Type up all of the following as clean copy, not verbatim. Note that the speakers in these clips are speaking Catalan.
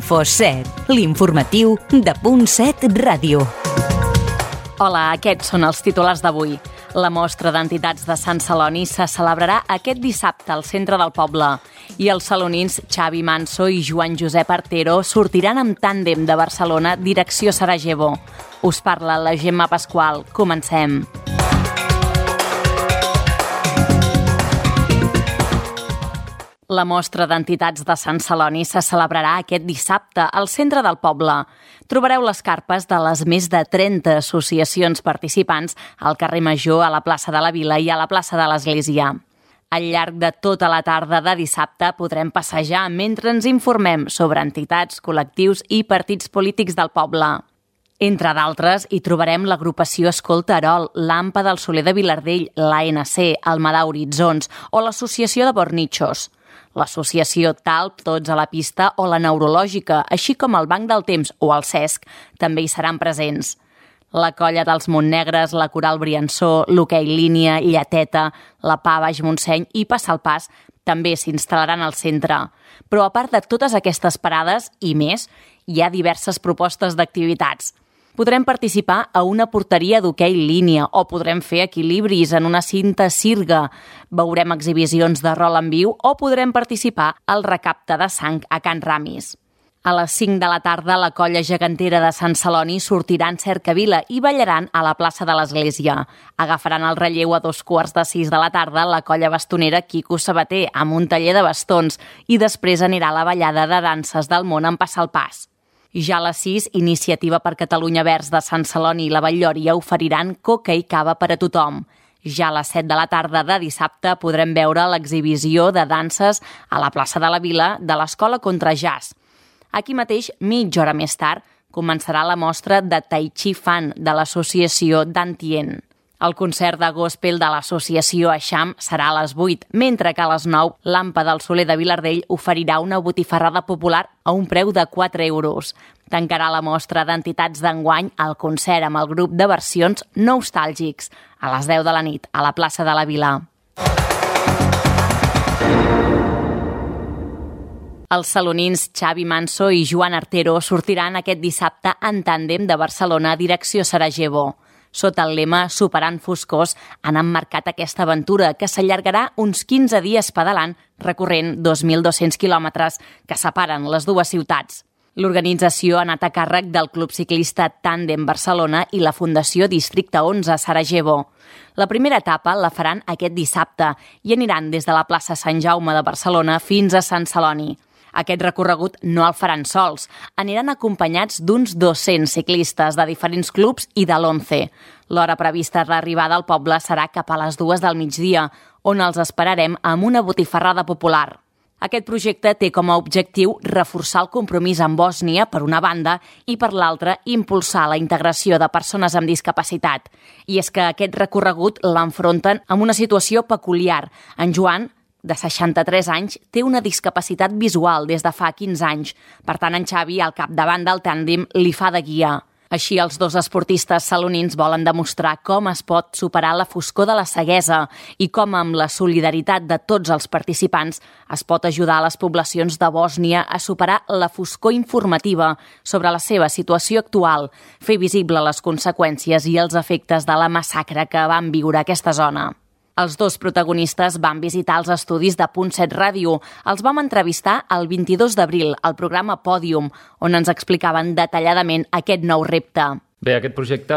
Info7, l'informatiu de Punt7 Ràdio. Hola, aquests són els titulars d'avui. La mostra d'entitats de Sant Celoni se celebrarà aquest dissabte al centre del poble i els salonins Xavi Manso i Joan Josep Artero sortiran amb tàndem de Barcelona direcció Sarajevo. Us parla la Gemma Pasqual. Comencem. La mostra d'entitats de Sant Celoni se celebrarà aquest dissabte al centre del poble. Trobareu les carpes de les més de 30 associacions participants al carrer Major, a la plaça de la Vila i a la plaça de l'Església. Al llarg de tota la tarda de dissabte podrem passejar mentre ens informem sobre entitats, col·lectius i partits polítics del poble. Entre d'altres, hi trobarem l'agrupació Escolta Erol, l'AMPA del Soler de Vilardell, l'ANC, el Madà Horitzons o l'associació de Bornichos. L'associació Talp, Tots a la Pista o la Neurològica, així com el Banc del Temps o el CESC, també hi seran presents. La Colla dels Montnegres, la Coral Briançó, l'Hoquei Línia, Lleteta, la PA Baix Montseny i Passar el Pas també s'instal·laran al centre. Però a part de totes aquestes parades i més, hi ha diverses propostes d'activitats. Podrem participar a una porteria d'hoquei línia o podrem fer equilibris en una cinta sirga. Veurem exhibicions de rol en viu o podrem participar al recapte de sang a Can Ramis. A les 5 de la tarda, la colla gegantera de Sant Celoni sortirà en cercavila i ballaran a la plaça de l'Església. Agafaran el relleu a 2:15 de la tarda la colla bastonera Quico Sabater amb un taller de bastons i després anirà a la ballada de danses del món en Passar el Pas. Ja a les 6, Iniciativa per Catalunya Verds de Sant Celoni i la Batllòria oferiran coca i cava per a tothom. Ja a les 7 de la tarda de dissabte podrem veure l'exhibició de danses a la plaça de la Vila de l'Escola Contra Jazz. Aquí mateix, mitja hora més tard, començarà la mostra de Tai Chi Fan de l'associació Dantien. El concert de gospel de l'associació Eixam serà a les 8, mentre que a les 9 l'AMPA del Soler de Vilardell oferirà una botifarrada popular a un preu de 4 euros. Tancarà la mostra d'entitats d'enguany el concert amb el grup de versions Nostàlgics, a les 10 de la nit, a la plaça de la Vila. Els salonins Xavi Manso i Joan Artero sortiran aquest dissabte en tàndem de Barcelona a direcció Sarajevo. Sota el lema Superant foscors han emmarcat aquesta aventura que s'allargarà uns 15 dies pedalant recorrent 2.200 quilòmetres que separen les dues ciutats. L'organització ha anat a càrrec del Club Ciclista Tàndem Barcelona i la Fundació Districte 11 Sarajevo. La primera etapa la faran aquest dissabte i aniran des de la plaça Sant Jaume de Barcelona fins a Sant Celoni. Aquest recorregut no el faran sols. Aniran acompanyats d'uns 200 ciclistes de diferents clubs i de l'11. L'hora prevista d'arribada al poble serà cap a les 2 del migdia, on els esperarem amb una botifarrada popular. Aquest projecte té com a objectiu reforçar el compromís amb Bòsnia, per una banda, i per l'altra, impulsar la integració de persones amb discapacitat. I és que aquest recorregut l'enfronten amb una situació peculiar. En Joan, de 63 anys, té una discapacitat visual des de fa 15 anys. Per tant, en Xavi, al capdavant del tàndem, li fa de guia. Així, els dos esportistes salonins volen demostrar com es pot superar la foscor de la ceguesa i com, amb la solidaritat de tots els participants, es pot ajudar a les poblacions de Bòsnia a superar la foscor informativa sobre la seva situació actual, fer visible les conseqüències i els efectes de la massacre que van viure a aquesta zona. Els dos protagonistes van visitar els estudis de Punt7 Ràdio. Els vam entrevistar el 22 d'abril al programa Pòdium, on ens explicaven detalladament aquest nou repte. Bé, aquest projecte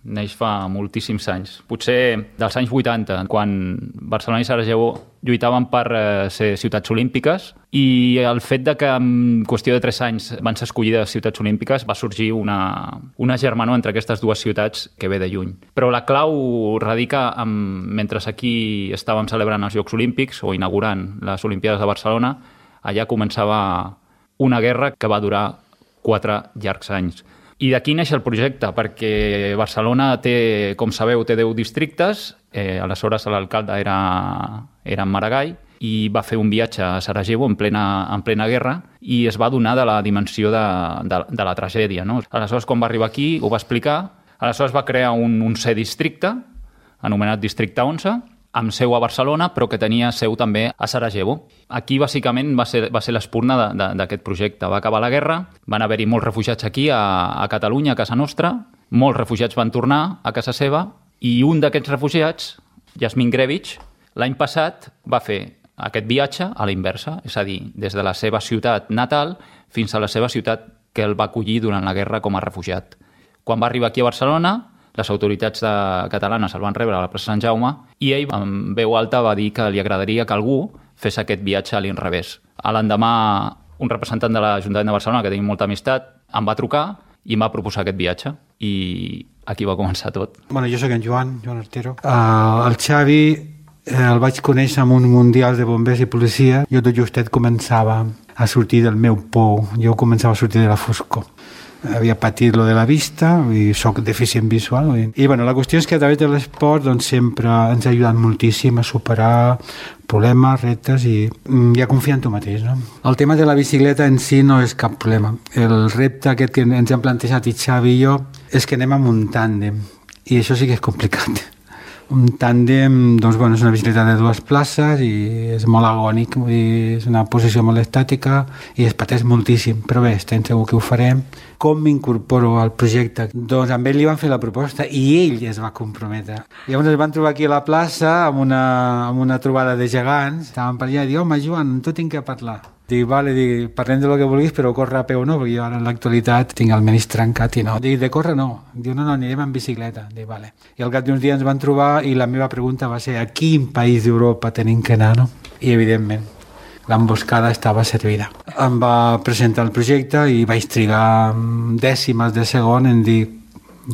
neix fa moltíssims anys, potser dels anys 80, quan Barcelona i Sarajevo lluitaven per ser ciutats olímpiques, i el fet de que en qüestió de 3 anys van ser escollides ciutats olímpiques va sorgir una germanor entre aquestes dues ciutats que ve de lluny. Però la clau radica mentre aquí estàvem celebrant els Jocs Olímpics o inaugurant les Olimpiades de Barcelona, allà començava una guerra que va durar 4 llargs anys. I d'aquí neix el projecte, perquè Barcelona té, com sabeu, té 10 districtes, aleshores l'alcalde era en Maragall, i va fer un viatge a Sarajevo en plena guerra i es va adonar de la dimensió de la tragèdia, no? Aleshores, quan va arribar aquí, ho va explicar. Aleshores va crear un 11è districte, anomenat Districte 11, amb seu a Barcelona, però que tenia seu també a Sarajevo. Aquí, bàsicament, va ser l'espurna d'aquest projecte. Va acabar la guerra, van haver-hi molts refugiats aquí, a Catalunya, a casa nostra, molts refugiats van tornar a casa seva, i un d'aquests refugiats, Yasmin Grevich, l'any passat va fer aquest viatge a la inversa, és a dir, des de la seva ciutat natal fins a la seva ciutat que el va acollir durant la guerra com a refugiat. Quan va arribar aquí a Barcelona, les autoritats catalanes el van rebre a la plaça Sant Jaume i ell, amb veu alta, va dir que li agradaria que algú fes aquest viatge a l'inrevés. A l'endemà, un representant de l'Ajuntament de Barcelona, que tenim molta amistat, em va trucar i em va proposar aquest viatge. I aquí va començar tot. Bueno, jo soc en Joan Artero. El Xavi el vaig conèixer en un mundial de bombers i policia. Jo tot justet començava a sortir del meu pou. Jo començava a sortir de la foscor. Havia patit lo de la vista i soc deficient visual. I bueno, la qüestió és que a través de l'esport doncs, sempre ens ha ajudat moltíssim a superar problemes, reptes i a confiar en tu mateix. No? El tema de la bicicleta en si no és cap problema. El repte aquest que ens hem plantejat i Xavi i jo és que anem amb un tàndem i això sí que és complicat. Un tàndem, doncs, bueno, és una bicicleta de 2 places i és molt agònic, vull dir, és una posició molt estàtica i es pateix moltíssim, però bé, estem segur que ho farem. Com m'incorporo al projecte? Doncs amb ell li van fer la proposta i ell es va comprometre. Llavors ens van trobar aquí a la plaça amb una trobada de gegants, estàvem per allà i dic, home Joan, tu tinc que parlar. Dic, vale, parlem de lo que vulguis, però córrer a peu no, perquè jo ara en l'actualitat tinc el menis trencat i no. Dic, de córrer no. Diu, no, anirem en bicicleta. Dic, vale. I al cap d'uns dies ens van trobar i la meva pregunta va ser a quin país d'Europa tenim que anar, no? I evidentment, l'emboscada estava servida. Em va presentar el projecte i vaig trigar dècimes de segon en dir...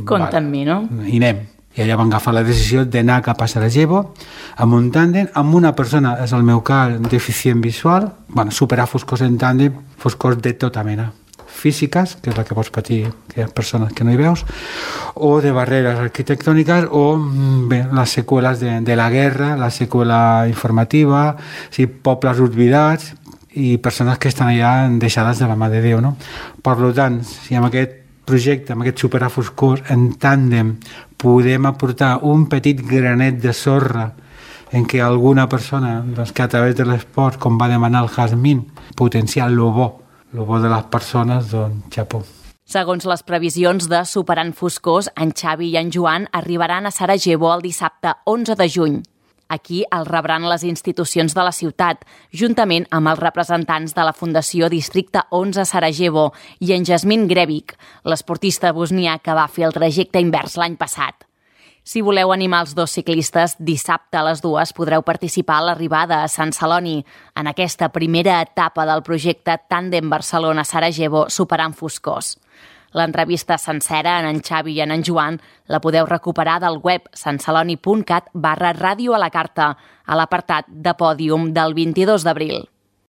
Compte amb mi, no? I anem. I allà van agafar la decisió d'anar cap a Sarajevo amb un tàndem, amb una persona, és el meu cas, deficient visual, bueno, superar foscors en tàndem, foscors de tota mena, físiques, que és la que pots patir, que hi ha persones que no hi veus, o de barreres arquitectòniques, o bé, les seqüeles de la guerra, la seqüela informativa, sí, pobles oblidats i persones que estan allà deixades de la mà de Déu, no? Per tant, si amb aquest projecte, amb aquest superar foscors en tàndem podem aportar un petit granet de sorra en què alguna persona doncs, que a través de l'esport, com va demanar el Jasmine, potenciar lo bo de les persones, doncs xapó. Segons les previsions de Superant Foscors, en Xavi i en Joan arribaran a Sarajevo el dissabte 11 de juny. Aquí el rebran les institucions de la ciutat, juntament amb els representants de la Fundació Districte 11 Sarajevo i en Yasmin Grevich, l'esportista bosnià que va fer el trajecte invers l'any passat. Si voleu animar els 2 ciclistes, dissabte a les 2 podreu participar a l'arribada a Sant Celoni en aquesta primera etapa del projecte Tàndem Barcelona-Sarajevo Superant Foscors. L'entrevista sencera en Xavi i en Joan la podeu recuperar del web santceloni.cat/ràdio a la carta, a l'apartat de pòdium del 22 d'abril.